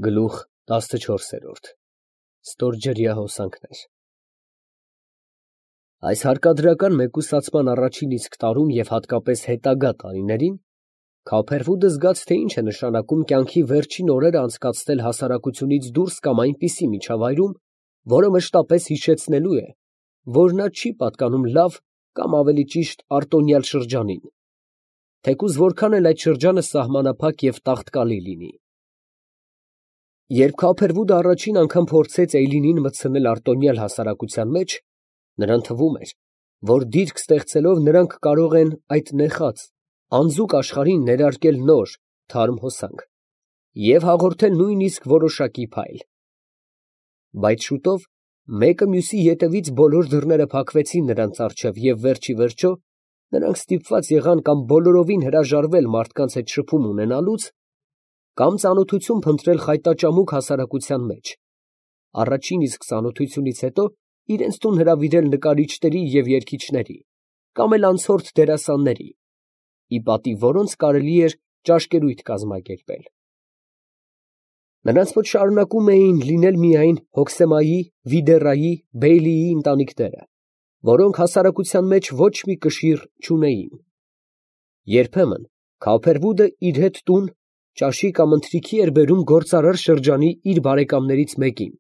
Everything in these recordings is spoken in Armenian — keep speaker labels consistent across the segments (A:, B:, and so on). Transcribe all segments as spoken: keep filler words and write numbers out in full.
A: Գլուխ տասնչորսերորդ Ստորջրյա հոսանքներ Այս հարկադրական մեկուսացման առաջին իսկ տարում և հատկապես հետագա տարիներին Քավփերվուդը զգաց, թե ինչ է նշանակում կյանքի վերջին օրերը անցկացնել հասարակությունից դուրս կամ այնպիսի միջավայրում, որը մշտապես հիշեցնելու է, որ նա չի պատկանում լավ կամ ավելի ճիշտ արտոնյալ շրջանին, թեկուզ որքան էլ այդ շրջանը սահմանափակ և տաղտկալի լինի։ Երբ Քավփերվուդը առաջին անգամ փորձեց Էյլինին մտցնել արտոնյալ հասարակության մեջ, նրան թվում էր, որ դիրք ստեղծելով նրանք կարող են այդ նեխած, անձուկ աշխարհին ներարկել նոր, թարմ հոսանք և հաղորդել նույնիսկ որոշակի փայլ։ Բայց շուտով մեկը մյուսի ետևից բոլոր դռները փակվեցին նրանց առջև և վերջիվերջո նրանք ստիպված եղան կամ բոլորովին հրաժարվել մարդկանց հետ շփում ունենալուց, կամ ծանոթություն փնտրել խայտաճամուկ հասարակության մեջ, առաջին իսկ ծանոթությունից հետո իրենց տուն հրավիրել նկարիչների և երգիչների, կամ էլ անցորդ դերասանների, ի պատիվ որոնց կարելի էր ճաշկերույթ կազմակերպել։ Նրանց մոտ շարունակում էին լինել միայն Հոքսեմայի, Վիդեռայի, Բեյլիի ընտանիքները, որոնք հասարակության մեջ ոչ մի կշիռ չունեին։ Երբեմն Քավփերվուդը իր հետ տուն ճաշի կամ ընթրիքի էր բերում գործարար շրջանի իր բարեկամներից մեկին,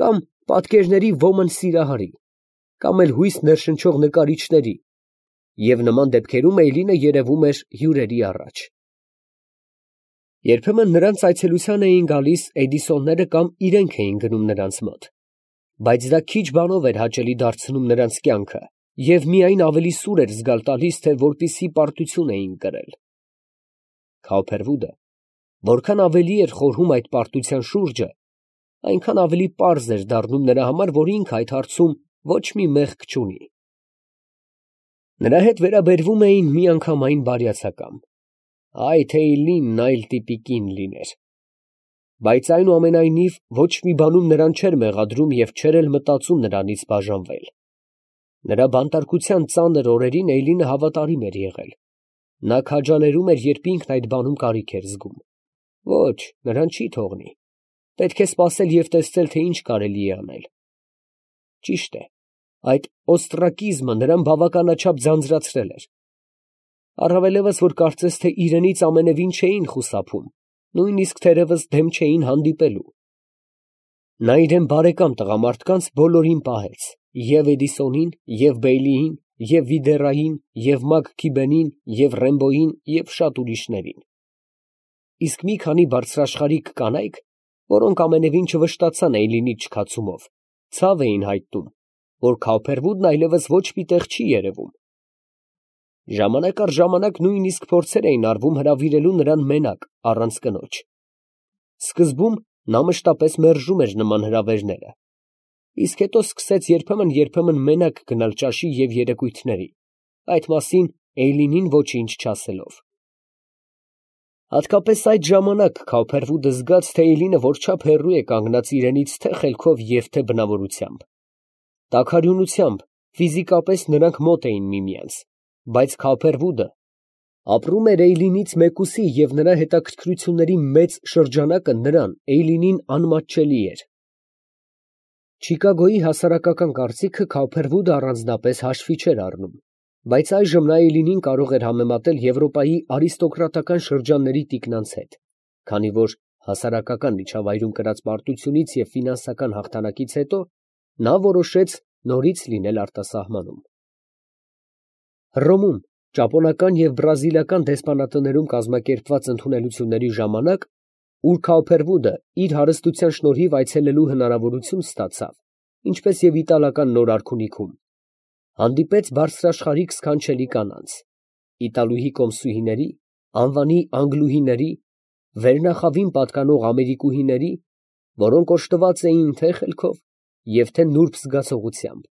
A: կամ պատկերների ոմն սիրահարի, կամ էլ հույս ներշնչող նկարիչների, և նման դեպքերում Էյլինը երևում էր հյուրերի առաջ։ Երբեմն նրանց այցելության էին գալիս Էդիսոնները կամ իրենք էին գնում նրանց մոտ, բայց դա քիչ բանով էր հաճելի դարձնում նրանց կյանքը և միայն ավելի սուր էր զգալ տալիս, թե որպիսի պարտություն էին կրել։ Քավփերվուդը որքան ավելի էր խորհում այդ պարտության շուրջը, այնքան ավելի պարզ էր դառնում նրա համար, որ ինքը այդ հարցում ոչ մի մեղք չունի։ Նրա հետ վերաբերվում էին միանգամայն բարյացակամ. «Այ թե Էյլինն այլ տիպի կին լիներ», բայց այնուամենայնիվ ոչ մի բանում նրան չէր մեղադրում և չէր էլ մտածում նրանից բաժանվել։ Նրա բանտարկության ծանր օրերին Էյլինը հավատարիմ էր եղել. նա քաջալերում էր, երբ ինքն այդ բանում կարիք էր զգում։ Ոչ, նրան չի թողնի, պետք է սպասել և տեսնել, թե ինչ կարելի է անել։ Ճիշտ է, այդ օստրակիզմը նրան բավականաչափ ձանձրացրել էր, առավելևս, որ կարծես թե իրենից ամենևին չէին խուսափում, նույնիսկ թերևս դեմ չէին հանդիպելու։ Նա իրան բարեկամ տղամարդկանց բոլորին պահեց, և Էդիսոնին, և Բեյլիին, և Վիդեռային, և Մաքքիբենին, և Ռեմբոյին և շատ ուրիշներին։ Իսկ մի քանի բարձրաշխարհիկ կանայք, որոնք ամենևին չվշտացան Էյլինի չքացումով, ցավ էին հայտնում, որ Քավփերվուդն այլևս ոչ մի տեղ չի երևում։ Ժամանակ առ ժամանակ նույնիսկ փորձեր էին արվում հրավիրելու նրան մենակ, առանց կնոջ։ Սկզբում նա մշտապես մերժում էր նման հրավերները, իսկ հետո սկսեց երբեմն֊երբեմն մենակ գնալ ճաշի և երեկույթների, այդ մասին Էյլինին ոչինչ չասելով։ Հատկապես այդ ժամանակ Քավփերվուդը զգաց, թե Էյլինը որչափ հեռու է կանգնած իրենից թե՛ խելքով և թե՛ բնավորությամբ։ Տաքարյունությամբ, ֆիզիկապես նրանք մոտ էին միմյանց, բայց Քավփերվուդը ապրում էր Էյլինից մեկուսի և նրա հետաքրքրությունների մեծ շրջանակը նրան, Էյլինին, անմատչելի էր։ Չիկագոյի հասարակական կարծիքը Քավփերվուդը առանձնապես հաշվի չէր առնում, բայց այժմ նա Էյլինին կարող էր համեմատել Եվրոպայի արիստոկրատական շրջանների տիկնանց հետ, քանի որ հասարակական միջավայրում կրած պարտությունից և ֆինանսական հաղթանակից հետո նա որոշեց նորից լինել արտասահմանում։ Հռոմում ճապոնական և բրազիլական դեսպանատներում կազմակերպված ընդունելությունների ժամանակ, ուր Քավփերվուդը իր հարստության շնորհիվ այցելելու հնարավորություն ստացավ, ինչպես և իտալական Նոր արքունիքում, հանդիպեց բարձրաշխարհիկ սքանչելի կանանց, իտալուհի կոմսուհիների, անվանի անգլուհիների, վերնախավին պատկանող ամերիկուհիների, որոնք օժտված էին թե՛ խելքով և թե՛ նուրբ զգացողությամբ։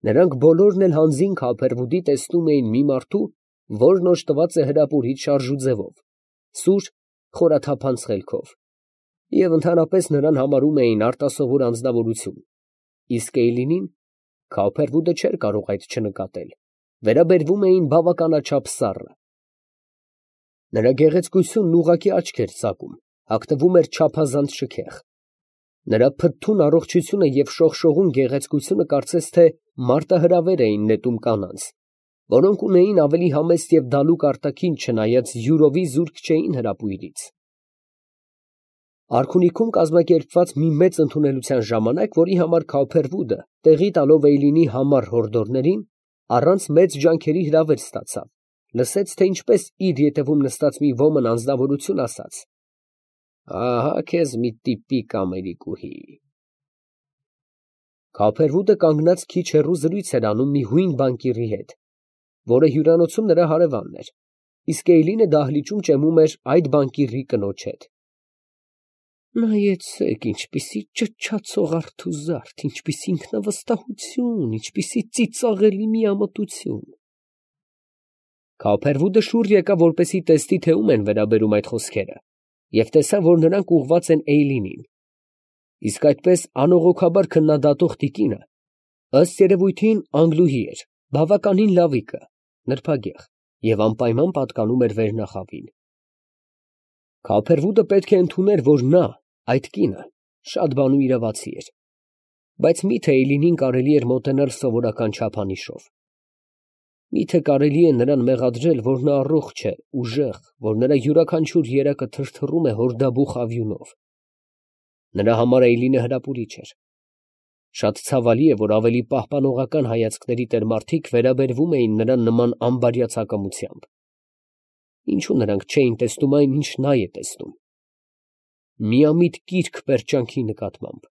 A: Նրանք բոլորն էլ հանձին Քավփերվուդի տեսնում էին մի մարդու, որն օժտված է հրապուրիչ շարժուձևով, սուր, խորաթափանց խելքով, և ընդհանրապես նրան համարում էին արտասովոր անձնավորություն, իսկ Էյլինին Քավփերվուդը չէր կարող այդ չնկատել, վերաբերվում էին բավականաչափ սառը։ Նրա գեղեցկությունն ուղղակի աչք էր ծակում, հագնվում էր չափազանց շքեղ։ Նրա փթթուն առողջությունը և շողշողուն գեղեցկությունը կարծես թե մարտահրավեր էին նետում կանանց, որոնք ունեին ավելի համեստ և դալուկ արտաքին, չնայած յուրովի զուրկ չէին հրապույրից։ Արքունիքում կազմակերպված մի մեծ ընդունելության ժամանակ, որի համար Քավփերվուդը, տեղի տալով Էյլինի համառ հորդորներին, առանց մեծ ջանքերի հրավեր ստացավ, լսեց, թե ինչպես իր ետևում նստած մի ոմն անձնավորություն ասաց. «Ահա քեզ մի տիպիկ ամերիկուհի»։ Քավփերվուդը կանգնած քիչ հեռու զրույց էր անում մի հույն բանկիրի հետ, որը հյուրանոցում նրա հարևանն էր, իսկ Էյլինը դահլիճում ճեմում էր այդ բանկիրի կնոջ հետ։ Նայեցեք, ինչպիսի ճչացող արթուզարդ, ինչպիսի ինքնավստահություն, ինչպիսի ծիծաղելի միամտություն։ Քավփերվուդը շուռ եկավ, որպեսզի տեսնի, թե ում են վերաբերում այդ խոսքերը, և տեսավ, որ նրանք ուղղված են Էյլինին, իսկ այդպես անողոքաբար քննադատող տիկինը, ըստ երևույթին, անգլուհի էր, բավականին լավիկը, նրբագեղ և անպայման պատկանում էր վերնախավին։ Քավփերվուդը պետք է ընդուներ, որ նա, այդ կինը, շատ բանու իրավացի էր, բայց մի՞թե Էյլինին կարելի էր մոտենալ սովորական չափանիշով։ Մի՞թե կարելի է նրան մեղադրել, որ նա առողջ է, ուժեղ, որ նրա յուրաքանչյուր երակը թրթռում է հորդաբուխ ավյունով։ Նրա համար Էյլինը հրապուրիչ էր։ Շատ ցավալի է, որ ավելի պահպանողական հայացքների տեր մարդիկ վերաբերվում էին նրան նման անբարյացակամությամբ։ Ինչո՞ւ նրանք չէին տեսնում այն, ինչ նա է տեսնում։ Միամիտ կիրք պերճանքի նկատմամբ,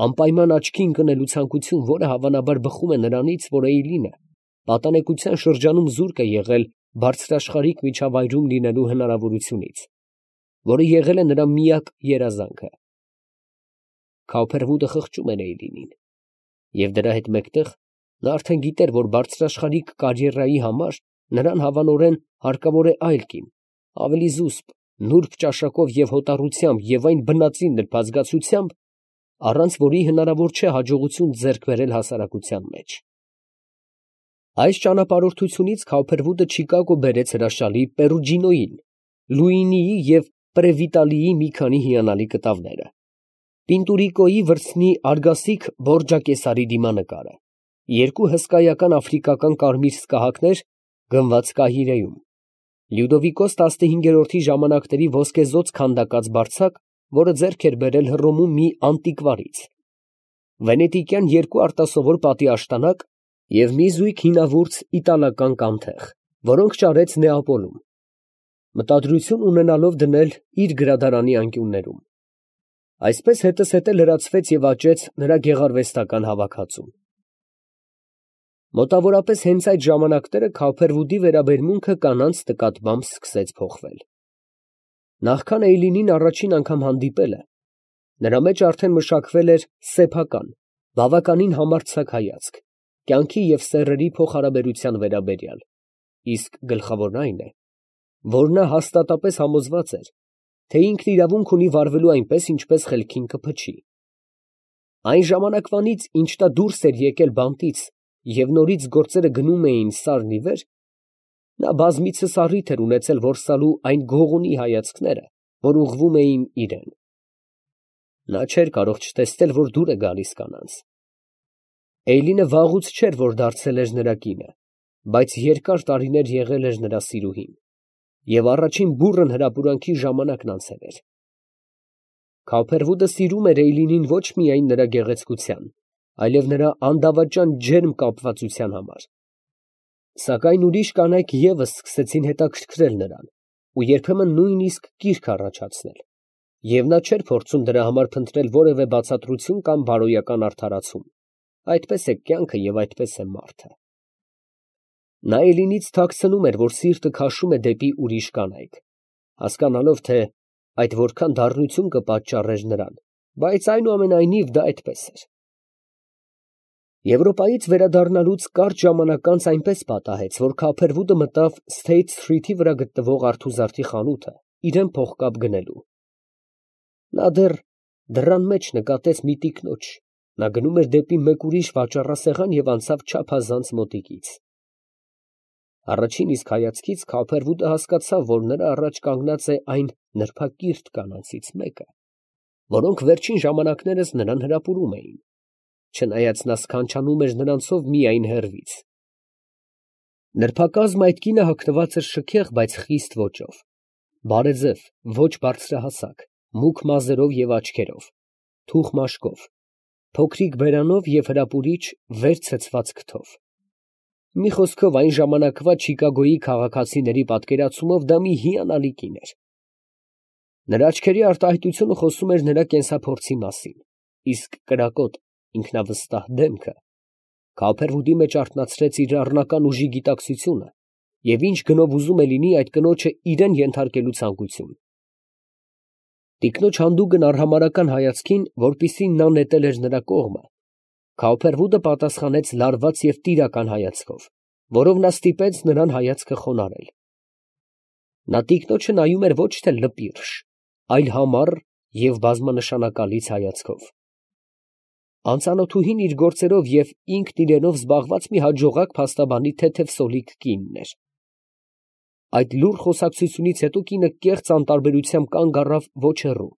A: անպայման աչքի ընկնելու ցանկություն, որը հավանաբար բխում է նրանից, որ Էյլինը պատանեկության շրջանում զուրկ է եղել բարձրաշխարհիկ միջավայրում լինելու հնարավորությունից, որը եղել է նրա միակ երազանքը։ Քավփերվուդը խղճում էր Էյլինին, և դրա հետ մեկտեղ նա արդեն գիտեր, որ բարձրաշխարհիկ կարիերայի համար նրան հավանորեն հարկավոր է այլ կին, ավելի զուսպ, նուրբ ճաշակով և հոտառությամբ և այն բնածին նրբազգացությամբ, առանց որի հնարավոր չէ հաջողություն ձեռք բերել հասարակության մեջ։ Այս ճանապարհորդությունից Քավփերվուդը Չիկագո բերեց հրաշալի Պերուջինոյին, Լուինիի և Պրևիտալիի մի քանի հիանալի կտավները, Պինտուրիկոյի վրձնի արգասիք Բորջակեսարի դիմանկարը, երկու հսկայական աֆրիկական կարմիր սկահակներ գնված Կահիրեում, Լյուդովիկոս տասնհինգերորդի ժամանակների ոսկեզօծ քանդակած բարձակ, որը ձեռք էր բերել Հռոմում մի անտիկվարից, վենետիկյան երկու արտասովոր պատի աշտանակ և մի զույգ հինավուրց իտալական կանթեղ, որոնք ճարեց Նեապոլում, մտադրություն ունենալով դնել իր գրադարանի անկյուններում։ Այսպես հետզհետե լրացվեց և աճեց նրա գեղարվեստական հավաքածուն։ Մոտավորապես հենց այդ ժամանակները Քավփերվուդի վերաբերմունքը կանանց նկատմամբ սկսեց փոխվել։ Նախքան Էյլինին առաջին անգամ հանդիպելը, նրա մեջ արդեն մշակվել էր սեփական, բավականին համարձակ հայացք, կյանքի և սեռերի փոխհարաբերության վերաբերյալ, իսկ գլխավորն այն է, որ նա հաստատապես համոզված էր, թե ինքն իրավունք ունի վարվելու այնպես, ինչպես խելքին կփչի։ Այն ժամանակվանից, ինչ նա դուրս էր եկել բանտից և նորից գործերը գնում էին սարն ի վեր, նա բազմիցս առիթ էր ունեցել որսալու այն գողունի հայացքները, որ ուղղվում էին իրան։ Նա չէր կարող չտեսնել, որ դուր է գալիս կանանց։ Էյլինը վաղուց չէր, որ դարձել էր նրա կինը, բայց երկար տարիներ եղել էր նրա սիրուհին, և առաջին բուռն հրապուրանքի ժամանակն անցել էր։ Քավփերվուդը սիրում էր Էյլինին ոչ միայն նրա գեղեցկության, այլև նրա անդավաճան ջերմ կապվածության համար։ Սակայն ուրիշ կանայք ևս սկսեցին հետաքրքրել նրան ու երբեմն նույնիսկ կիրք առաջացնել, և նա չէր փորձում դրա համար փնտրել որևէ բացատրություն կամ բարոյական արդարացում։ Այդպես է կյանքը և այդպես է մարդը։ Նա Էյլինից թաքցնում էր, որ սիրտը քաշում է դեպի ուրիշ կանայք, հասկանալով, թե այդ որքան դառնություն կպատճառեր նրան, բայց այնուամենայնիվ դա այդպես էր։ Եվրոպայից վերադառնալուց կարճ ժամանակ անց այնպես պատահեց, որ Քավփերվուդը մտավ Սթեյթ Սթրիթի վրա գտնվող արթուզարդի խանութը իրան փողկապ գնելու։ Նա դեռ դռան մեջ նկատեց մի տիկնոջ, նա գնում էր դեպի մեկ ուրիշ վաճառասեղան և անցավ չափազանց մոտիկից։ Առաջին իսկ հայացքից Քավերվուդը հասկացավ, որ նրա առաջ կանգնած է այն նրբակիրթ կանանցից մեկը, որոնք վերջին ժամանակներս նրան հրապուրում էին, չնայած նա սքանչանում էր նրանցով միայն հեռվից։ Նրբակազմ այդ կինը հագնված էր շքեղ, բայց խիստ ոճով, բարեձև, ոչ բարձրահասակ, մուգ մազերով և աչքերով, թուխ մաշկով, փոքրիկ բերանով և հրապուրիչ վեր ցցված քթով։ Մի խոսքով, այն ժամանակվա Չիկագոյի քաղաքացիների պատկերացումով դա մի հիանալի կին էր։ Նրա աչքերի արտահայտությունը խոսում էր նրա կենսափորձի մասին, իսկ կրակոտ, ինքնավստահ դեմքը Քավերվուդի մեջ արթնացրեց իր առնական ուժի գիտակցությունը և ինչ գնով ուզում է լինի այդ կնոջը իրան ենթարկելու ցանկություն։ Տիկնոջ հանդուգն արհամարհական հայացքին, որպիսին նա նետել էր նրա կողմը, Քավերվուդը պատասխանեց լարված և տիրական հայացքով, որով նա ստիպեց նրան հայացքը խոնարհել։ Նա տիկնոջը նայում էր ոչ թե լպիրշ, այլ համառ և բազմանշանակալից հայացքով։ Անծանոթուհին իր գործերով և ինքն իրենով զբաղված մի հաջողակ փաստաբանի թեթև սոլիկ կինն էր։ Այդ լուռ խոսակցությունից հետո կինը կեղծ անտարբերությամբ կանգ առավ ոչ հեռու,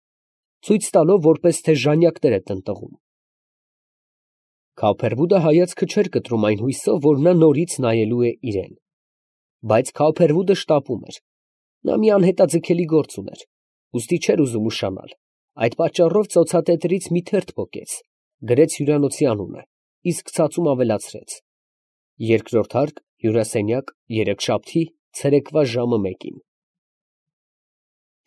A: ցույց տալով, որպես թե ժանյակներ է տնտղում։ Քավերվուդը հայացքը չէր կտրում այն հույսով, որ նա նորից նայելու է իրան։ Բայց Քավերվուդը շտապում էր։ Նա մի անհետաձգելի գործ ուներ, ուստի չէր ուզում ուշանալ։ Այդ պատճառով ծոցատետրից մի թերթ պոկեց, գրեց հյուրանոցի անունը, իսկ ցածում ավելացրեց. երկրորդ հարկ, հյուրասենյակ, երեքշաբթի, ցերեկվա ժամը մեկին։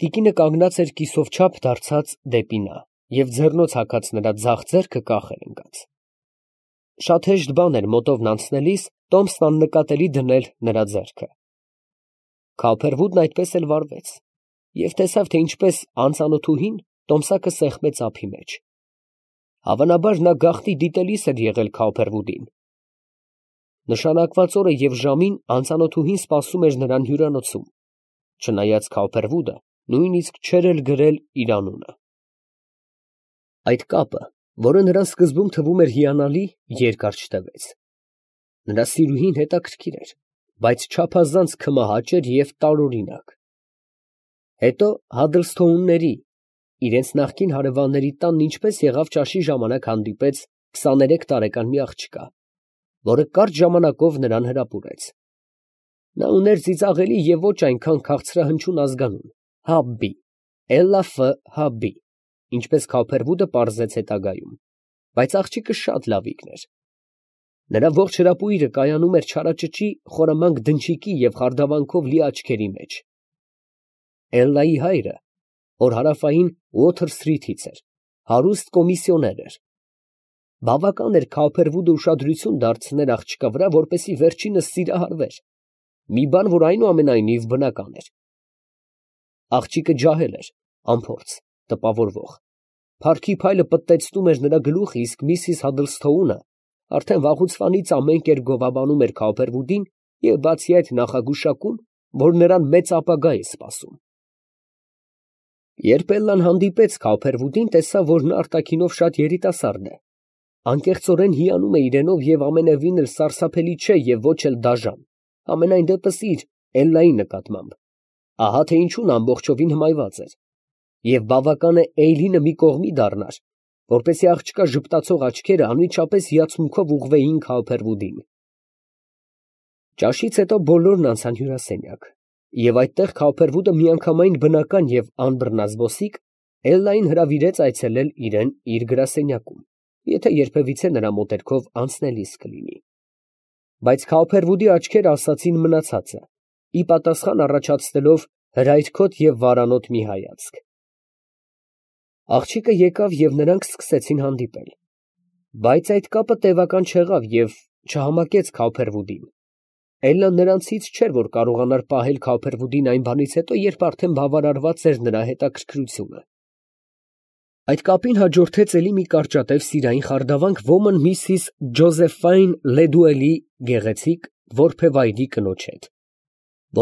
A: Տիկինը կանգնած էր կիսով չափ դարձած դեպի նա և ձեռնոց հագած նրա ձախ ձեռքը կախել ընկած։ Շատ հեշտ բան էր մոտովն անցնելիս տոմսն աննկատելի դնել նրա ձեռքը։ Քավերվուդն այդպես էլ վարվեց և տեսավ, թե ինչպես անծանոթուհին տոմսակը սեղմեց ափի մեջ։ Հավանաբար նա գաղտնի դիտելիս էր եղել Քավերվուդին։ Նշանակված օրը և ժամին անծանոթուհին սպասում էր նրան հյուրանոցում, չնայած Քավերվուդը նույնիսկ չէր էլ գրել իր անունը։ Այդ կապը, որը նրան սկզբում թվում էր հիանալի, երկար չտևեց։ Նրա սիրուհին հետաքրքիր էր, բայց չափազանց քմահաճ էր և տարօրինակ։ Հետո Հադլսթոունների, իրենց նախկին հարևանների տանն ինչպես եղավ ճաշի ժամանակ հանդիպեց քսաներեք տարեկան մի աղջկա, որը կարճ ժամանակով նրան հրապուրեց։ Նա ուներ ծիծաղելի և ոչ այնքան քաղցրահնչյուն ազգանուն՝ Հաբբի, Էլլաֆը Հաբբի, ինչպես Քավերվուդը պարզեց հետագայում, բայց աղջիկը շատ լավիկն էր։ Նրա ողջ հրապույրը կայանում էր չարաճճի խորամանկ դնչիկի և խարդավանքով լի աչքերի մեջ։ Էլլայի հայրը, որ հարավային Ուոթր Սթրիթից էր, հարուստ կոմիսիոներ էր։ Բավական էր Քավերվուդը ուշադրություն դարձներ աղջկա վրա, որպեսզի վերջինս սիրահարվեր, մի բան, որ այնուամենայնիվ բնական էր։ Աղջիկը ջահել էր, անփորձ, տպավորվող։ Փառքի փայլը պտտեցնում էր նրա գլուխը, իսկ միսիս Հադլսթոունը արդեն վաղուցվանից ամեն կերպ գովաբանում էր Քավերվուդին և բացի այդ նախագուշակում, որ նրան մեծ ապագա է սպասում։ Երբ Էլլան հանդիպեց Քավերվուդին, տեսավ, որ նա արտաքինով շատ երիտասարդ է, անկեղծորեն հիանում է իրենով և ամենևին էլ սարսափելի չէ և ոչ էլ դաժան, համենայն դեպս իր՝ Էլլայի նկատմամբ, ահա թե ինչու նա ամբողջովին հմայված էր, և բավական է Էյլինը մի կողմի դառնար, որպեսզի աղջկա ժպտացող աչքերը անմիջապես հիացմունքով ուղղվեին Քավերվուդին։ Ճաշից հետո բոլորն անցան հյուրասենյակ, և այդտեղ Քավերվուդը միանգամայն բնական և անբռնազբոսիկ Էլլային հրավիրեց այցելել իրան իր գրասենյակում, եթե երբևիցե նրա մոտերքով անցնելիս կլինի։ Բայց Քավերվուդի աչքերը ասացին մնացածը, ի պատասխան առաջացնելով հրայրքոտ և վարանոտ մի հայացք։ Աղջիկը եկավ և նրանք սկսեցին հանդիպել, բայց այդ կապը տևական չեղավ և չհամակեց Քավերվուդին։ Էլլան նրանցից չէր, որ կարողանար պահել Քավերվուդին այն բանից հետո, երբ արդեն բավարարված էր նրա հետաքրքրությունը։ Այդ կապին հաջորդեց էլի մի կարճատև սիրային խարդավանք ոմն միսիս Ջոզեֆայն Լեդուելի գեղեցիկ որբևայրի կնոջ հետ,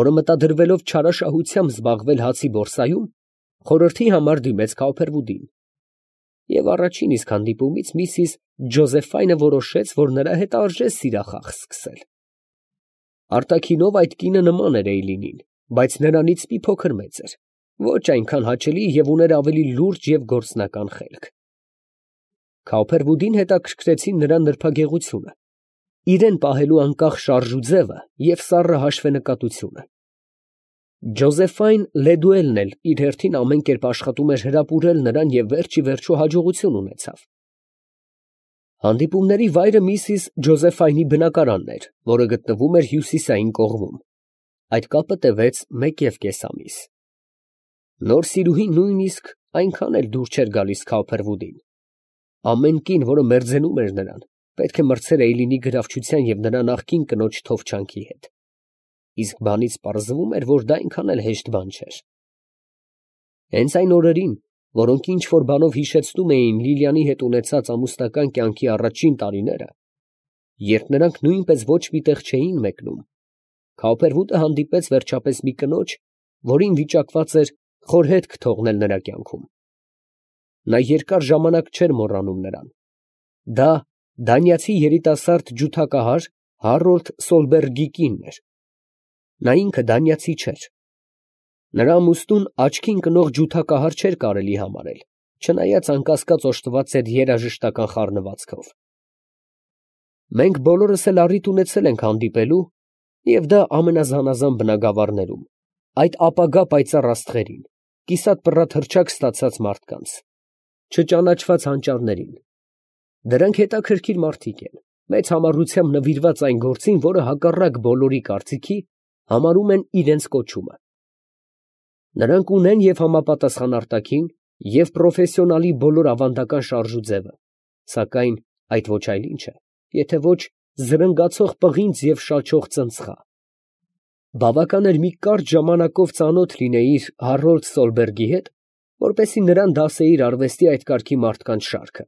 A: որը մտադրվելով չարաշահությամբ զբաղվել հացի բորսայում, խորհրդի համար դիմեց Քավերվուդին, և առաջին իսկ հանդիպումից միսիս Ջոզեֆայնը որոշեց, որ նրա հետ արժե սիրախաղ սկսել։ Արտաքինով այդ կինը նման էր Էյլինին, բայց նրանից մի փոքր մեծ էր, ոչ այնքան հաճելի և ուներ ավելի լուրջ և գործնական խելք։ Քաուփերվուդին հետաքրքրեցին նրա նրբագեղությունը, իրեն պահելու անկախ շարժուձևը և սառը հաշվենկատությունը։ Ջոզեֆայն Լեդուելն էլ իր հերթին ամեն կերպ աշխատում էր հրապուրել նրան և վերջիվերջո հաջողություն ունեցավ։ Հանդիպումների վայրը միսիս Ջոզեֆայնի բնակարանն էր, որը գտնվում էր հյուսիսային կողմում։ Այդ կապը տևեց մեկ և կես ամիս։ Նոր սիրուհին նույնիսկ այնքան էլ դուր չէր գալիս Քաուփերվուդին։ Ամեն կին, որը մերձենում էր նրան, պետք է մրցեր Էյլինի գրավչության և նրա նախկին կնոջ թովչանքի հետ։ Իսկ բանից պարզվում էր, որ դա այնքան էլ հեշտ բան չէր։ Հենց այն օրերին, որոնք ինչ որ բանով հիշեցնում էին Լիլիանի հետ ունեցած ամուսնական կյանքի առաջին տարիները, երբ նրանք նույնպես ոչ մի տեղ չէին մեկնում, Քաուփերվուդը հանդիպեց վերջապես մի կնոջ, որին վիճակված էր խորհետք թողնել նրա կյանքում։ Նա երկար ժամանակ չէր մոռանում նրան։ Դա դանիացի երիտասարդ ջութակահար Հարոլդ Սոլբերգի կինն էր։ Նա ինքը դանիացի չէր։ Նրա ամուսնուն աչքին կնող ջութակահար չէր կարելի համարել, չնայած անկասկած օժտված էր երաժշտական խառնվածքով։ Մենք բոլորս էլ առիթ ունեցել ենք հանդիպելու, և դա ամենազանազան բնագավառներում, այդ ապագա պայծառ աստղերին, կիսատ պռատ հռչակ ստացած մարդկանց, չճանաչված հանճարներին։ Դրանք հետաքրքիր մարդիկ են, մեծ համառությամբ նվիրված այն գործին, որը հակառակ բոլորի կարծիքի համարում են իրենց կոչումը։ Նրանք ունեն և համապատասխան արտաքին, և պրոֆեսիոնալի բոլոր ավանդական շարժուձևը, սակայն այդ ոչ այլ ինչ է, եթե ոչ զրնգացող պղինձ և շաչող ծնցղա։ Բավական էր մի կարճ ժամանակով ծանոթ լինեիր Հարոլդ Սոլբերգի հետ, որպեսզի նրան դասեիր արվեստի այդ կարգի մարդկանց շարքը։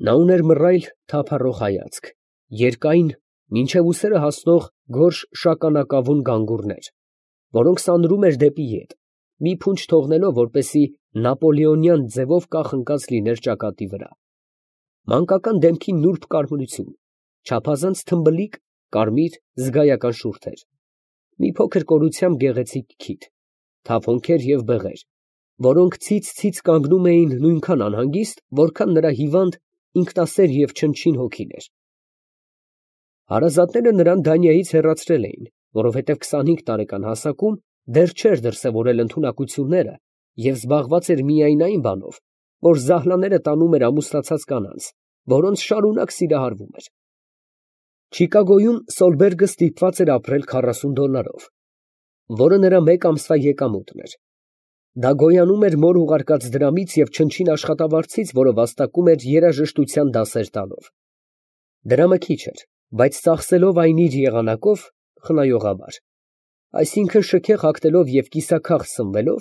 A: Նա ուներ մռայլ թափառող հայացք, երկայն, մինչև ուսերը հասնող գորշ շագանակավուն գանգուրներ, որոնք սանրում էր դեպի ետ, մի փունջ թողնելով, որպեսզի նապոլեոնյան ձևով կախ ընկած լիներ ճակատի վրա։ Մանկական դեմքի նուրբ կարմրություն, չափազանց թմբլիկ, կարմիր, զգայական շուրթեր, մի փոքր կորությամբ գեղեցիկ քիթ, թավ հոնքեր և բեղեր, որոնք ցից֊ցից կանգնում էին նույնքան անհանգիստ, որքան նրա հիվանդ, ինքնասեր և չնչին հոգին էր։ Հարազատները նրան Դանիայից հեռացրել էին, որովհետև քսանհինգ տարեկան հասակում դեռ չէր դրսևորել ընդունակությունները և զբաղված էր միայն այն բանով, որ զահլաները տանում էր ամուսնացած կանանց, որոնց շարունակ սիրահարվում էր։ Չիկագոյում Սոլբերգը ստիպված էր ապրել քառասուն դոլարով, որը նրա մեկ ամսվա եկամուտն էր։ Դա գոյանում էր մոր ուղարկած դրամից և չնչին աշխատավարձից, որը վաստակում էր երաժշտության դասեր տալով։ Դրամը քիչ էր, բայց ծախսելով այն իր եղանակով, խնայողաբար, այսինքն շքեղ հագնելով և կիսաքաղ սնվելով,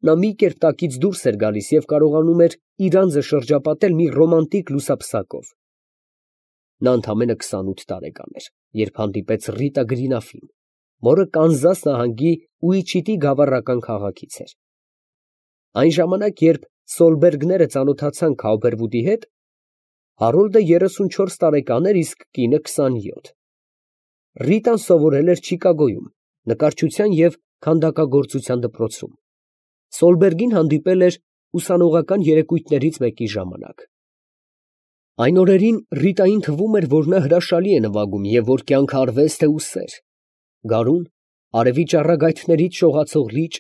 A: նա մի կերպ տակից դուրս էր գալիս և կարողանում էր իր անձը շրջապատել մի ռոմանտիկ լուսապսակով։ Նա ընդամենը քսանութ տարեկան էր, երբ հանդիպեց Ռիտա Գրինաֆին, որը Կանզաս նահանգի Ուիչիտի գավառական քաղաքից էր։ Այն ժամանակ, երբ Սոլբերգները ծանոթացան Քաուփերվուդի հետ, Հարոլդը երեսունչորս տարեկան էր, իսկ կինը քսանյոթ։ Ռիտան սովորել էր Չիկագոյում, նկարչության և քանդակագործության դպրոցում։ Սոլբերգին հանդիպել էր ուսանողական երեկույթներից մեկի ժամանակ։ Այն օրերին Ռիտային թվում էր, որ նա հրաշալի է նվագում և որ կյանքը արվեստ է ու սեր։ Գարուն, արևի ճառագայթներից շողացող լիճ,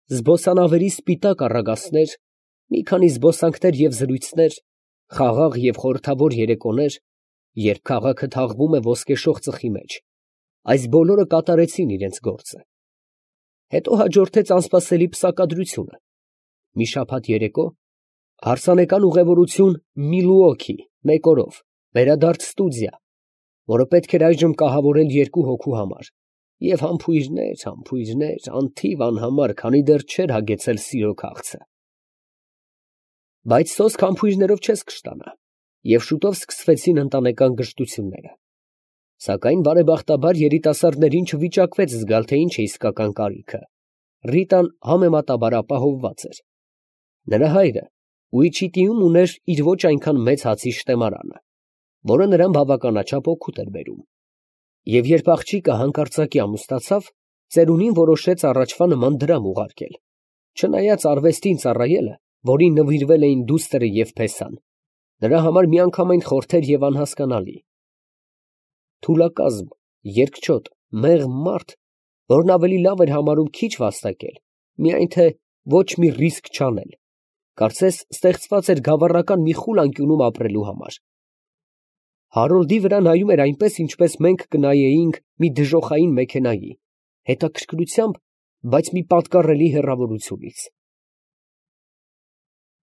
A: զբոսանավերի սպիտակ առագաստներ, մի քանի զբոսանքներ և զրույցներ, խաղաղ և խորհրդավոր երեկոներ, երբ քաղաքը թաղվում է ոսկեշող ծխի մեջ, այս բոլորը կատարեցին իրենց գործը։ Հետո հաջորդեց անսպասելի պսակադրությունը, մի շաբաթ երեկո, հարսանեկան ուղևորություն Միլուոքի մեկ օրով, վերադարձ ստուդիա, որը պետք էր այժմ կահավորել երկու հոգու համար, և համբույրներ, համբույրներ, անթիվ անհամար, քանի դեռ չէր հագեցել սիրո քաղցը։ Բայց սոսկ համբույրներով չես կշտանա, և շուտով սկսվեցին ընտանեկան գժտությունները։ Սակայն բարեբախտաբար երիտասարդներին չվիճակվեց զգալ, թե ինչ է իսկական կարիքը։ Ռիտան համեմատաբար ապահովված էր։ Նրա հայրը Ուիչիտիում ուներ իր ոչ այնքան մեծ հացի շտեմարանը, որը նրան բավականաչափ օգուտ էր բերում։ Եվ երբ աղջիկը հանկարծակի ամուսնացավ, ծերունին որոշեց առաջվա նման դրամ ուղարկել, չնայած արվեստին ծառայելը, որին նվիրվել էին դուստրը և փեսան, նրա համար միանգամայն խորթեր և անհասկանալի. թուլակազմ, երկչոտ, մեղմ մարդ, որն ավելի լավ էր համարում քիչ վաստակել, միայն թե ոչ մի ռիսկ չանել, կարծես ստեղծված էր գավառական մի խուլ անկյունում ապրելու համար։ Հարոլդի վրա նայում էր այնպես, ինչպես մենք կնայեինք մի դժոխային մեքենայի, հետաքրքրությամբ, բայց մի պատկառելի հեռավորությունից։